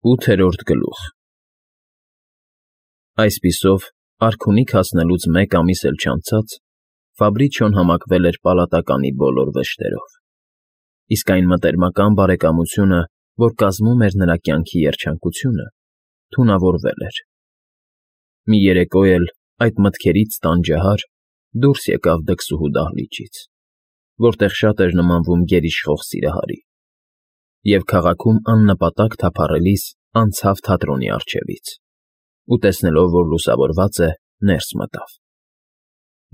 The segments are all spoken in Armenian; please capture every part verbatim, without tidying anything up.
ՈՒԹԵՐՈՐԴ ԳԼՈՒԽ Այսպիսով, արքունիք հասնելուց մեկ ամիս էլ չանցած, Ֆաբրիչոն համակվել էր պալատականի բոլոր վշտերով, իսկ այն մտերմական բարեկամությունը, որ կազմում էր նրա կյանքի երջանկությունը, թունավորվել էր. մի երեկո էլ, այդ մտքերից տանջահար, դուրս եկավ դքսուհու դահլիճից, որտեղ շատ էր նմանվում գերիշխող սիրահարի, և քաղաքում աննպատակ թափառելիս անցավ թատրոնի առջևից ու, տեսնելով, որ լուսավորված է, ներս մտավ.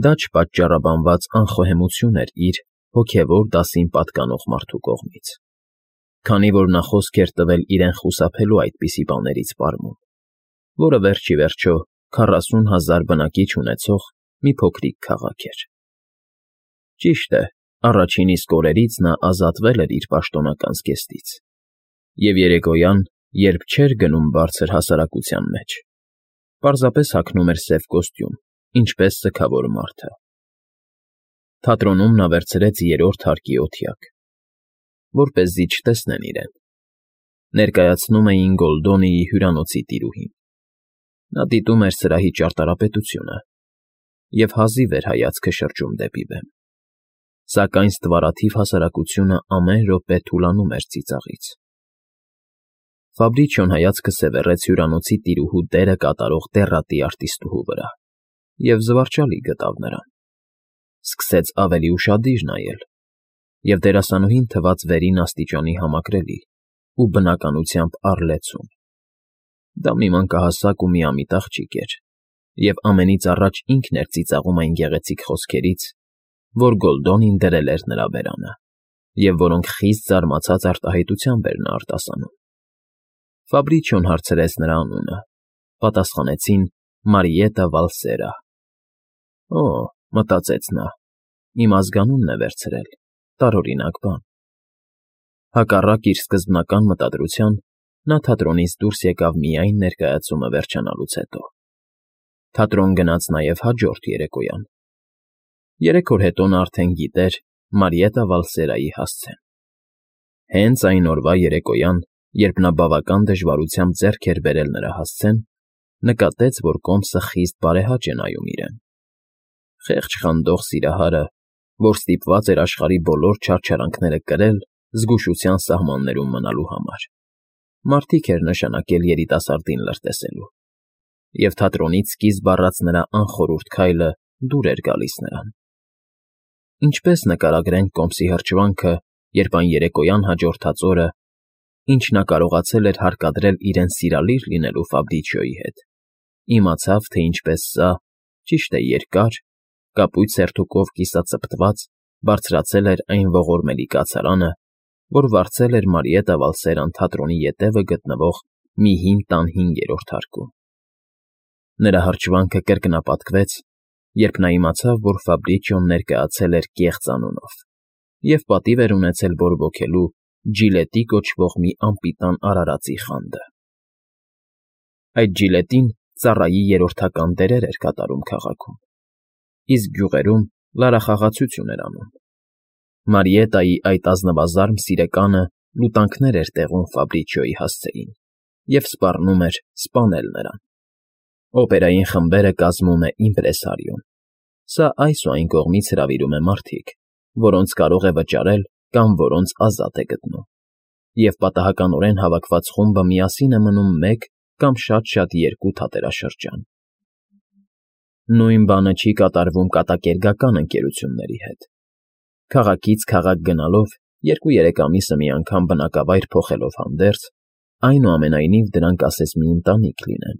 դա չպատճառաբանված անխոհեմություն էր իր, հոգևոր դասին պատկանող մարդու կողմից, քանի որ նա խոսք էր տվել իրեն խուսափելու այդպիսի բաներից պարմուն, որը վերջ ի վերջո քառասուն հազար բնակիչ ունեցող մի փոքրիկ քաղաք էր. ճիշտ է, առաջին իսկ օրերից նա ազատվել էր իր պաշտոնական զգեստից և երեկոյան, երբ չէր գնում բարձր հասարակության մեջ, պարզապես հագնում էր սև կոստյում, ինչպես սգավոր մարդը. թատրոնում նա վերցրեց երրորդ հարկի օթյակ, որպեսզի չտեսնեն իրեն. ներկայացնում էին Գոլդոնիի հյուրանոցի տիրուհին. նա դիտում էր սրահի ճարտարապետությունը և հազիվ էր հայացքը շրջում դեպի բեմ, սակայն ստվարաթիվ հասարակությունը ամեն րոպե թուլանում էր ծիծաղից. Ֆաբրիչոն հայացքը սևեռեց հյուրանոցի տիրուհու դերը կատարող դեռատի արտիստուհու վրա և զվարճալի գտավ նրան. սկսեց ավելի ուշադիր նայել և դերասանուհին թվաց վերին աստիճանի համակրելի ու բնականությամբ առլեցուն. դա մի մանկահասակ ու միամիտ աղջիկ էր և ամենից առաջ ինքն էր ծիծաղում այն գեղեցիկ խոսքերից, որ Գոլդոնին դրել էր նրա բերանը և որոնք խիստ զարմացած արտահայտությամբ էր նա արտասանում. Ֆաբրիչոն հարցրեց նրա անունը, պատասխանեցին Մարիետտա Վալսերա. «Օ՜», մտածեց նա, «իմ ազգանունն է վերցրել, տարօրինակ բան»։ Հակառակ իր սկզբնական մտադրության, նա թատրոնից դուրս եկավ միայն ներկայացումը վերջանալուց հետո. թատրոն գնաց նաև հաջորդ երեկոյան. երեք օր հետո նա արդեն գիտեր Մարիետտա Վալսերայի հասցեն. հենց այն օրվա երեկոյան, երբ նա բավական դժվարությամբ ձեռք էր բերել նրա հասցեն, նկատեց, որ կոմսը խիստ բարեհաճ է նայում իրեն. խեղճ խանդող սիրահարը, որ ստիպված էր աշխարհի բոլոր չարչարանքները կրել զգուշության սահմաններում մնալու համար, մարդիկ էր նշանակել երիտասարդին լրտեսելու, և թատրոնից սկիզբ առած նրա անխորհուրդ քայլը դուր էր գալիս նրան. ինչպես նկարագրենք կոմսի հրճվանքը, երբ այն երեկոյան հաջորդած օրը, ինչ նա կարողացել էր հարկադրել իրեն սիրալիր լինելու Ֆաբրիչիոյի հետ, իմացավ, թե ինչպես սա, ճիշտ է, երկար, կապույտ սերտուկով կիսածպտված, բարձրացել էր այն ողորմելի կացարանը, որ վարձել էր Մարիետտա Վալսերան թատրոնի ետևը գտնվող մի հին տան հինգերորդ հարկում. նրա հրճվանքը կրկնապատկվեց, երբ նա իմացավ, որ Ֆաբրիչիոն ներկայացել էր կեղծ անունով և պատիվ էր ունեցել բորբոքելու Ջիլետի կոչվող մի անպիտան արարածի խանդը. այդ Ջիլետին ծառայի երրորդական դերեր էր կատարում քաղաքում, իսկ գյուղերում լարախաղացություն էր անում. Մարիետտայի այդ ազնվազարմ սիրեկանը լուտանքներ էր տեղում Ֆաբրիչիոյի հասցեին և սպառնում էր սպանել նրան. օպերային խմբերը կազմում է իմպրեսարիոն, սա այս ու այն կողմից հրավիրում է մարդիկ, որոնց կարող է վճարել կամ որոնց ազատ է գտնում, և պատահականորեն հավաքված խումբը միասին է մնում մեկ կամ շատ֊շատ երկու թատերաշրջան. նույն բանը չի կատարվում կատակերգական ընկերությունների հետ. քաղաքից քաղաք գնալով, երկու֊երեք ամիսը մի անգամ բնակավայր փոխելով հանդերձ, այնուամենայնիվ դրանք ասես մի ընտանիք լինեն,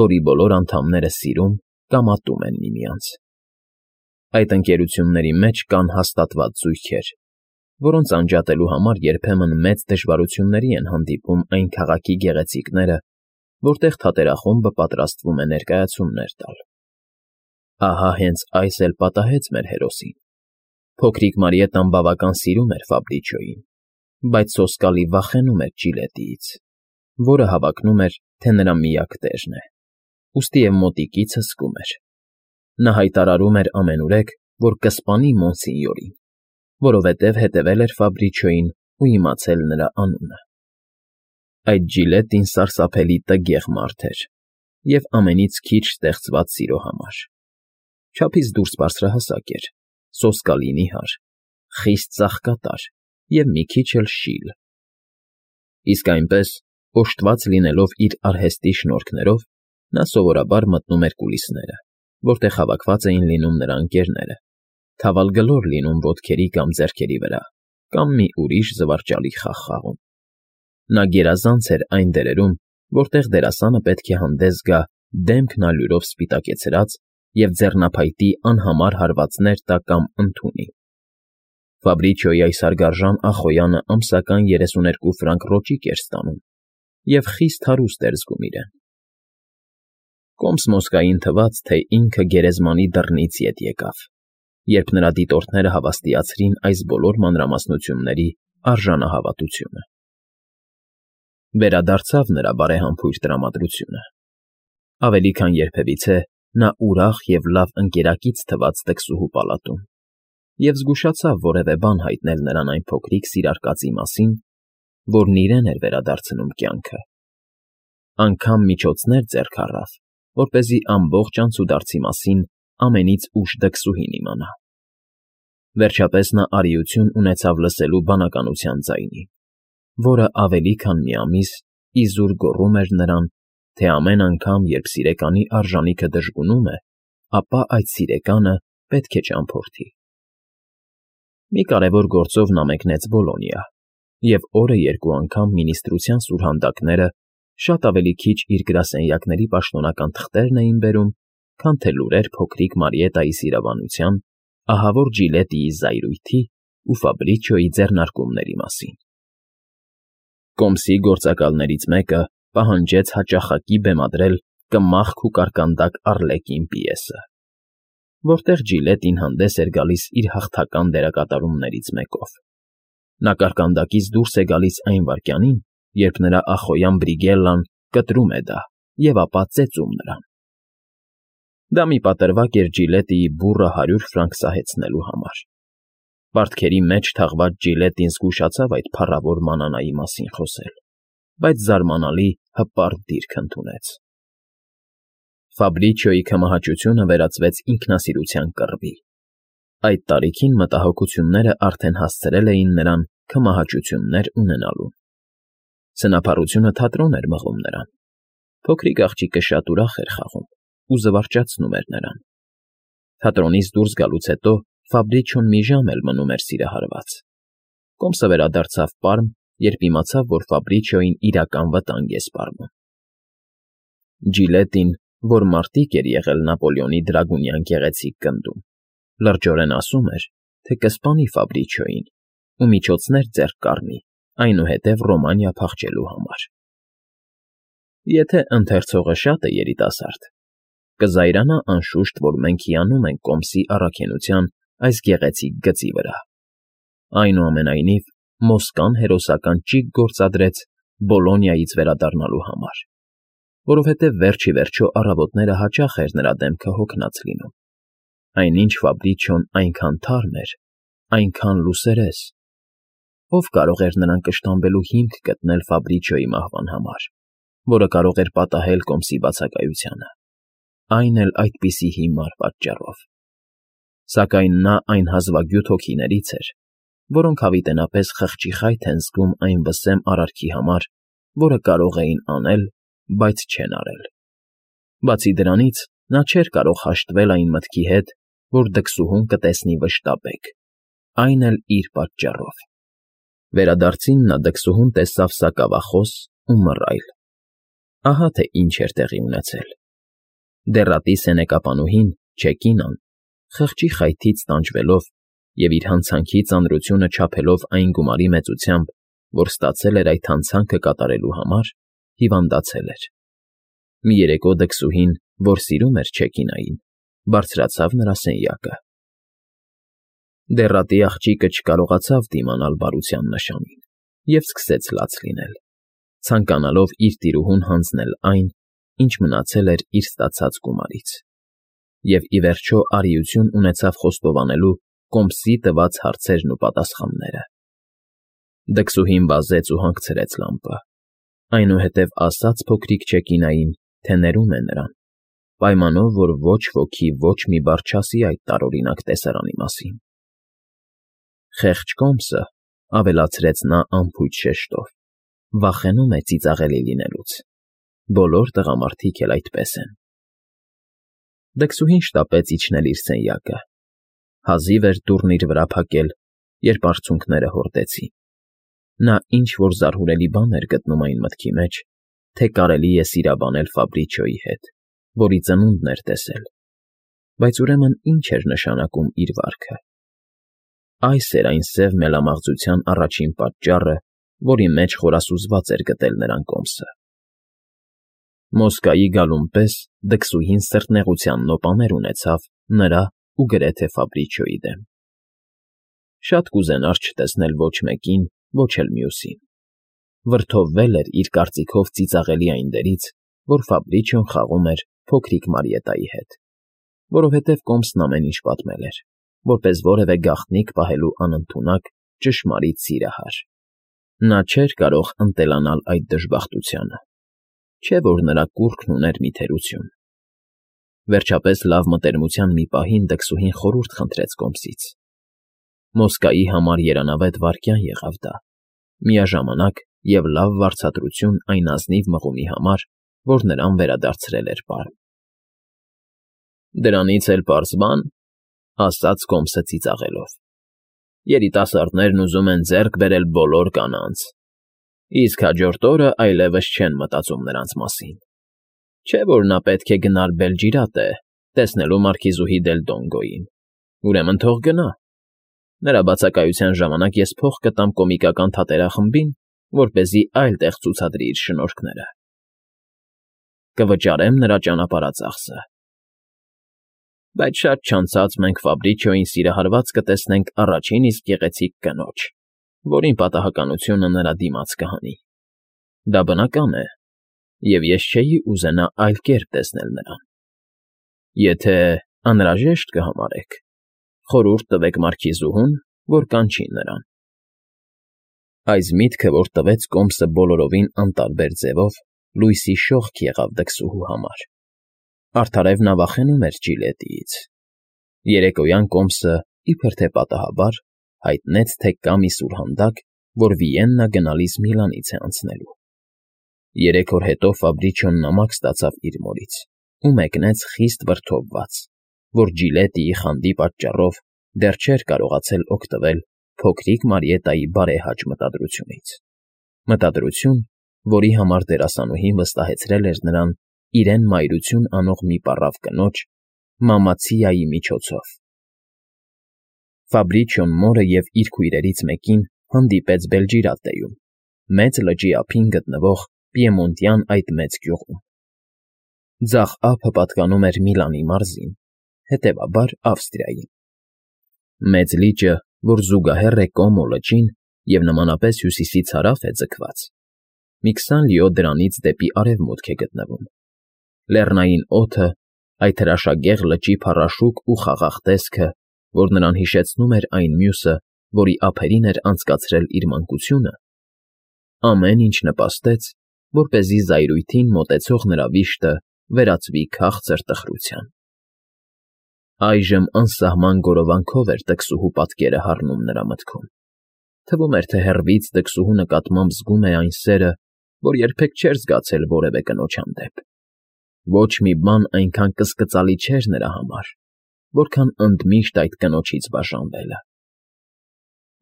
որի բոլոր անդամները սիրում կամ ատում են միմյանց. այդ ընկերությունների մեջ կան հաստատված զույգեր, որոնց անջատելու համար երբեմն մեծ դժվարությունների են հանդիպում այն քաղաքի գեղեցիկները, որտեղ թատերախումբը պատրաստվում է ներկայացումներ տալ. ահա հենց այս էլ պատահեց մեր հերոսին. փոքրիկ Մարիետտան բավական սիրում էր Ֆաբրիչիոյին, բայց սոսկալի վախենում էր Ջիլետիից, որը հավակնում էր, թե նրա միակ տերն է, ուստի և մոտիկից հսկում էր. նա հայտարարում էր ամենուրեք, որ կսպանի Մոնսինյորին, որովհետև հետևել էր Ֆաբրիչիոյին ու իմացել նրա անունը. Այդ Ջիլետին սարսափելի տգեղ մարդ էր և ամենից քիչ ստեղծված սիրո համար. չափից դուրս բարձրահասակ էր, սոսկալի նիհար, խիստ ծաղկատար և մի քիչ էլ շիլ. իսկ այնպես, օժտված լինելով իր արհեստի շնորհքներով, նա սովորաբար մտնում էր կուլիսները, որտեղ հավաքված էին լինում նրա ընկերները, թավալգլոր լինում ոտքերի կամ ձեռքերի վրա կամ մի ուրիշ զվարճալի խաղ խաղում. նա գերազանց էր այն դերերում, որտեղ դերասանը պետք է հանդես գա դեմքն ալյուրով սպիտակեցրած և ձեռնափայտի անհամար հարվածներ տա կամ ընդունի. Ֆաբրիչիոյի այս հարգարժան ախոյանը ամսական երեսուներկու ֆրանկ ռոճիկ էր ստանում և խիստ հարուստ էր զգում իրեն. Կոմս֊մոսկային թվաց, թե ինքը գերեզմանի դռնից ետ եկավ, երբ նրա դիտորդները հավաստիացրին այս բոլոր մանրամասնությունների արժանահավատությունը. վերադարձավ նրա բարեհամբույր տրամադրությունը. ավելի քան երբևիցե նա ուրախ և լավ ընկերակից թվաց դքսուհու պալատում և զգուշացավ որևէ բան հայտնել նրան այն փոքրիկ սիրար կածի մասին, որն իրեն էր վերադարձնում կյանքը. անգամ միջոցներ ձեռք առավ, որպեսզի ամբողջ անցուդարձի մասին ամենից ուշ դքսուհին իմանա. վերջապես նա արիություն ունեցավ լսելու բանականության ձայնին, որը ավելի քան մի ամիս իզուր գոռում էր նրան, թե ամեն անգամ, երբ սիրեկանի արժանիքը դժգունում է, ապա այդ սիրեկանը պետք է ճամփորդի. Մի կարևոր գործով նա մեկնեց Բոլոնիա, և օրը երկու անգամ մինիստրության սուրհանդակները շատ ավելի քիչ իր գրասենյակների պաշտոնական թղթերն էին բերում, քան թե լուրեր փոքրիկ Մարիետայի սիրահարության, ահավոր Ջիլետիի զայրույթի ու Ֆաբրիչիոյի ձեռնարկումների մասին. Կոմսի գործակալներից մեկը պահանջեց հաճախակի բեմադրել «Կմախք ու կարկանդակ Առլեկին» պիեսը, որտեղ Ջիլետին հանդես էր գալիս իր հաղթական դերակատարումներից մեկով. նա կարկանդակից դուրս է գալիս այն վայրկյանին, երբ նրա ախոյան Բրիգելլան կտրում է դա և ապա ծեծում նրան. դա մի պատրվակ էր Ջիլետիի բուռը հարյուր ֆրանկ սահեցնելու համար. պարտքերի մեջ թաղված Ջիլետին զգուշացավ այդ փառավոր մանանայի մասին խոսել, բայց զարմանալի հպարտ դիրք ընդունեց. Ֆաբրիչիոյի քմահաճությունը վերածվեց ինքնասիրության կռվի. այդ տարիքին մտահոգությունները արդեն հասցրել էին նրան քմահաճություններ ունենալուն. սնափառությունը թատրոն էր մղում նրան, փոքրիկ աղջիկը շատ ուրախ էր խաղում ու զվարճացնում էր նրան. թատրոնից դուրս գալուց հետո Ֆաբրիչիոն մի ժամ էլ մնում էր սիրահարված. Կոմսը վերադարձավ Պարմ, երբ իմացավ, որ Ֆաբրիչիոյին իրական վտանգ է սպառնում. Ջիլետին, որ մարտիկ էր եղել Նապոլեոնի դրագունյան գեղեցիկ գնդում, լրջորեն ասում էր, թե կսպանի Ֆաբրիչիոյին ու միջոցներ ձեռք կառնի այնուհետև Ռոմանիա փախչելու համար. Եթե ընթերցողը շատ է երիտասարդ, կզայրանա անշուշտ, որ մենք հիանում ենք Կոմսի առաքինության այս գեղեցիկ գծի վրա. այնուամենայնիվ Մոսկվան հերոսական ճիգ գործադրեց Բոլոնիայից վերադառնալու համար, որովհետև վերջ ի վերջո առավոտները հաճախ էր նրա դեմքը հոգնած լինում, այնինչ Ֆաբրիչիոն այնքան թարմ էր, այնքան լուսերես. ով կարող էր նրան կշտամբելու հիմք գտնել Ֆաբրիչիոյի մահվան համար, որը կարող էր պատահել Կոմսի բացակայությանը, այն էլ այդպիսի հիմար պատճառով. Սակայն նա այն հազվագյուտ հոգիներից էր, որոնք հավիտենապես խղճի խայթ են զգում այն վսեմ արարքի համար, որը կարող էին անել, բայց չեն արել. Բացի դրանից, նա չէր կարող հաշտվել այն մտքի հետ, որ դքսուհուն կտեսնի վշտաբեկ, այն էլ իր պատճառով. Վերադարձին նա դքսուհուն տեսավ սակավախոս ու մռայլ. ահա թե ինչ էր տեղի ունեցել. դեռատի սենեկապանուհին Չեկինան, խղճի խայթից տանջվելով և իր հանցանքի ծանրությունը չափելով այն գումարի մեծությամբ, որ ստացել էր այդ հանցանքը կատարելու համար, հիվանդացել էր. մի երեկո դքսուհին, որ սիրում էր Չեկինային, բարձրացավ նրա սենյակը. Դեռատի աղջիկը չկարողացավ դիմանալ բարության նշանին և սկսեց լաց լինել, ցանկանալով իր տիրուհուն հանձնել այն, ինչ մնացել էր իր ստացած գումարից, և ի վերջո արիություն ունեցավ խոստովանելու Կոմսի տված հարցերն ու պատասխանները. Դքսուհին վազեց ու հանգցրեց լամպը, Այնուհետև ասաց փոքրիկ Չեկինային, թե ներում է նրան, պայմանով, որ ոչ ոքի ոչ մի բառ չասի այդ տարօրինակ տեսարանի մասին։ Խեղճ Կոմսը, ավելացրեց նա անփույթ շեշտով, վախենում է ծիծաղելի լինելուց։ Բոլոր տղամարդիկ էլ այդպես են։ Դքսուհին շտապեց իջնել իր սենյակը։ Հազիվ էր դուռն իր վրա փակել, երբ արցունքները հորդեցին։ Նա ինչ֊որ զարհուրելի բան էր գտնում այն մտքի մեջ, թե կարելի է սիրաբանել Ֆաբրիչիոյի հետ, որի ծնունդն էր տեսել, բայց ուրեմն ինչ էր նշանակում իր վարքը։ Այս էր այն սև մելամաղձության առաջին պատճառը, որի մեջ խորասուզված էր գտել նրան Կոմսը։ Մոսկայի գալուն պես դքսուհին սրտնեղության նոպաներ ունեցավ նրա ու գրեթե Ֆաբրիչիոյի դեմ։ Շատ կուզենար չտեսնել ոչ մեկին, ոչ էլ մյուսին։ Վրդովվել էր իր կարծիքով ծիծաղելի այն դերից, որ Ֆաբրիչիոն խաղում էր փոքրիկ Մարիետայի հետ, որովհետև Կոմսն ամեն ինչ պատմել էր, որպես որևէ գաղտնիք պահելու անընդունակ, ճշմարիտ սիրահար։ Նա չէր կարող ընտելանալ այդ դժբախտությանը, չէ՞ որ նրա կուռքն ուներ մի թերություն։ Վերջապես լավ մտերմության մի պահին դքսուհին խորհուրդ խնդրեց Կոմսից։ Մոսկայի համար երանավետ վայրկյան եղավ դա, միաժամանակ և լավ վարձատրություն այն ազնիվ մղումի համար, որ նրան վերադարձրել էր պարմ։ Դրանից էլ պարզ բան, ասաց Կոմսը ծիծաղելով։ Երիտասարդներն ուզում են ձեռք բերել բոլոր կանանց, իսկ հաջորդ օրը այլևս չեն մտածում նրանց մասին։ Չէ՞ որ նա պետք է գնար Բելջիրատե, տեսնելու մարքիզուհի դել Դոնգոյին, ուրեմն թող գնա։ Նրա բացակայության ժամանակ ես փող կտամ կոմիկական թատերախմբին, որպեսզի այլ տեղ ցուցադրի իր շնորհքները։ Կվճարեմ նրա ճանապարհածախսը։ Բայց շատ չանցած մենք Ֆաբրիչիոյին սիրահարված կտեսնենք առաջին իսկ գեղեցիկ կնոջ, որին պատահականությունը նրա դիմաց կհանի։ Դա բնական է, և ես չէի ուզենա այլ կերպ տեսնել նրան։ Եթե անհրաժեշտ կհամարեք, խորհուրդ տվեք մարքիզուհուն, որ կանչի նրան։ Այս միտքը, որ տվեց Կոմսը բոլորովին անտարբեր ձևով, լույսի շողք եղավ դքսուհու համար։ Արդարև նա վախենում էր Ջիլետիից։ Երեկոյան Կոմսը, իբր թե պատահաբար, հայտնեց, թե կա մի սուրհանդակ, որ Վիեննա գնալիս Միլանից է անցնելու։ Երեք օր հետո Ֆաբրիչիոն նամակ ստացավ իր մորից ու մեկնեց խիստ վրդովված, որ Ջիլետիի խանդի պատճառով դեռ չէր կարողացել օգտվել փոքրիկ Մարիետայի բարեհաճ մտադրությունից։ Մտադրություն, որի համար դերասանուհին վստահեցրել էր նրան իրեն մայրություն անող մի պառավ կնոջ՝ Մամացիայի միջոցով։ Ֆաբրիչիոն մորը և իր քույրերից մեկին հանդիպեց Բելջիրատեում, մեծ լճի ափին գտնվող Պիեմոնտյան այդ մեծ գյուղում։ Ձախ ափը պատկանում էր Միլանի մարզին, հետևաբար Ավստրիային։ Մեծ լիճը, որ զուգահեռ է Կոմո լճին և նմանապես հյուսիսից հարավ է ձգված, մի քսան լիո դրանից դեպի արևմուտք է գտնվում։ Լեռնային օդը, այդ հրաշագեղ լճի փառաշուկ ու խաղաղ տեսքը, որ նրան հիշեցնում էր այն մյուսը, որի ափերին էր անցկացրել իր մանկությունը, ամեն ինչ նպաստեց, որպեսզի զայրույթին մոտեցող նրա վիշտը վերածվի քաղցր տխրության։ Այժմ անսահման գորովանքով էր դքսուհու պատկերը հառնում նրա մտքում։ Թվում էր, թե հեռվից դքսուհու նկատմամբ զգում է այն սերը, որ երբեք չէր զգացել որևէ կնոջ հանդեպ։ Ոչ մի բան այնքան կսկծալի չէր նրա համար, որքան ընդմիշտ այդ կնոջից բաժանվելը։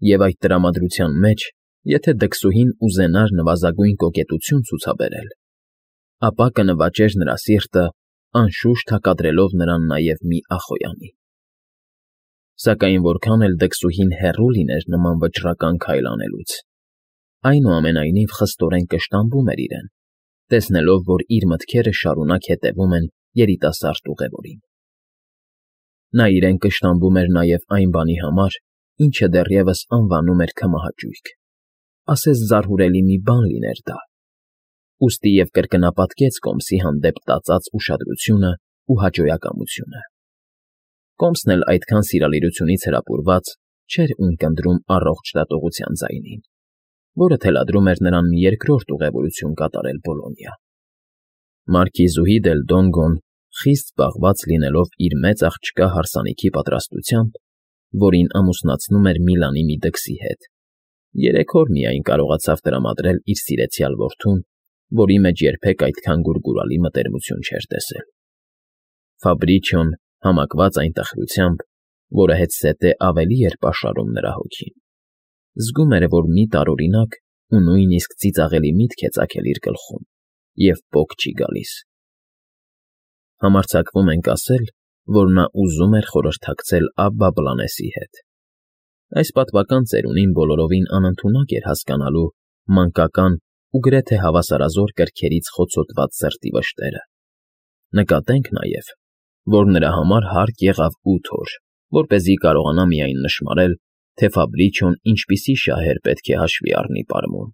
Եվ այդ տրամադրության մեջ, եթե դքսուհին ուզենար նվազագույն կոկետություն ցուցաբերել, ապա կնվաճեր նրա սիրտը, անշուշտ հակադրելով նրան նաև մի ախոյանի։ Սակայն որքան էլ դքսուհին հեռու լիներ նման վճռական քայլ անելուց, այնուամենայնիվ խստորեն կշտամբում էր իրեն, տեսնելով, որ իր մտքերը շարունակ հետևում են երիտասարդ ուղևորին։ Նա իրեն կշտամբում էր նաև այն բանի համար, ինչը դեռևս անվանում էր քմահաճույք, ասես զարհուրելի մի բան լիներ դա, ուստի և կրկնապատկեց Կոմսի հանդեպ տածած ուշադրությունն ու հաճոյակամությունը։ Կոմսն էլ այդքան սիրալիրությունից հրապուրված չէր ունկնդրում առողջ դատողության ձայնին, որը թելադրում էր նրան մի երկրորդ ուղևորություն կատարել Բոլոնիա։ Մարքիզուհի դել Դոնգոն, խիստ զբաղված լինելով իր մեծ աղջկա հարսանիքի պատրաստությամբ, որին ամուսնացնում էր Միլանի մի դքսի հետ, երեք օր միայն կարողացավ տրամադրել իր սիրեցյալ որդուն, որի մեջ երբեք այդքան գուրգուրալի մտերմություն չէր տեսել։ Ֆաբրիչիոն, համակված այն տխրությամբ, որը հետզհետե ավելի էր պաշարում նրա հոգին, զգում էր, որ մի տարօրինակ ու նույնիսկ ծիծաղելի միտք է ծագել իր գլխում և պոկ չի գալիս։ Համարձակվում ենք ասել, որ նա ուզում էր խորհրդակցել Աբբա Բլանեսի հետ։ Այս պատվական ծերունին բոլորովին անընդունակ էր հասկանալու մանկական ու գրեթե հավասարազոր կրքերից խոցոտված սրտի վշտերը։ Նկատենք նաև, որ նրա համար հարկ եղավ ութ օր, որպեսզի կարողանա միայն նշմարել, թե Ֆաբրիչիոն ինչպիսի շահեր պետք է հաշվի առնի պարմուն։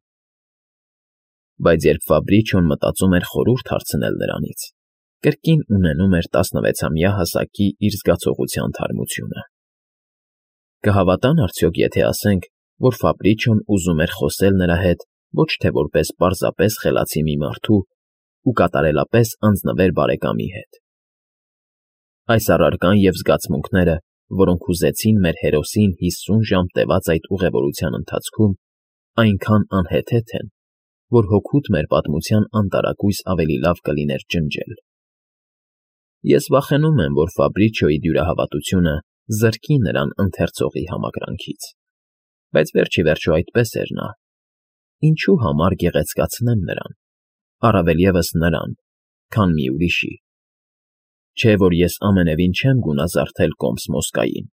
Բայց երբ Ֆաբրիչիոն մտածում էր խորհուրդ հարցնել նրանից, կրկին ունենում էր տասնվեցամյա հասակի իր զգացողության թարմությունը։ Կհավատա՞ն արդյոք, եթե ասենք, որ Ֆաբրիչիոն ուզում էր խոսել նրա հետ ոչ թե որպես պարզապես խելացի մի մարդու ու կատարելապես անձնվեր բարեկամի հետ։ Այս առարկան և զգացմունքները, որոնք հուզեցին մեր հերոսին հիսուն ժամ տևած այդ ուղևորության ընթացքում, այնքան անհեթեթ են, որ հօգուտ մեր պատմության անտարակույս ավելի լավ կլիներ ջնջել։ Ես վախենում եմ, որ Ֆաբրիչիոյի դյուրահավատությունը զրկի նրան ընթերցողի համակրանքից, բայց վերջ ի վերջո այդպես էր նա։ Ինչու համար գեղեցկացնեմ նրան, առավել ևս նրան, քան մի ուրիշի։ Չէ՞ որ ես ամենևին չեմ գունազարդել Կոմս֊Մոսկային,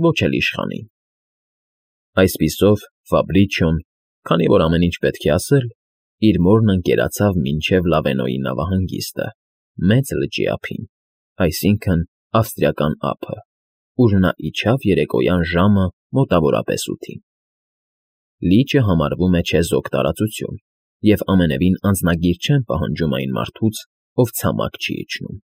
ոչ էլ իշխանին։ Այսպիսով Ֆաբրիչիոն, քանի որ ամեն ինչ պետք է ասել, իր մորն ընկերացավ մինչև Լավենոյի նավահանգիստը, Մեծ լճի ափին, այսինքն՝ ավստրիական ափը, ուր նա իջավ երեկոյան ժամը մոտավորապես ութին։ Լիճը համարվում է չեզոք տարածություն, և ամենևին անձնագիր չեն պահանջում այն մարդուց, ով ցամաք չի իջնում։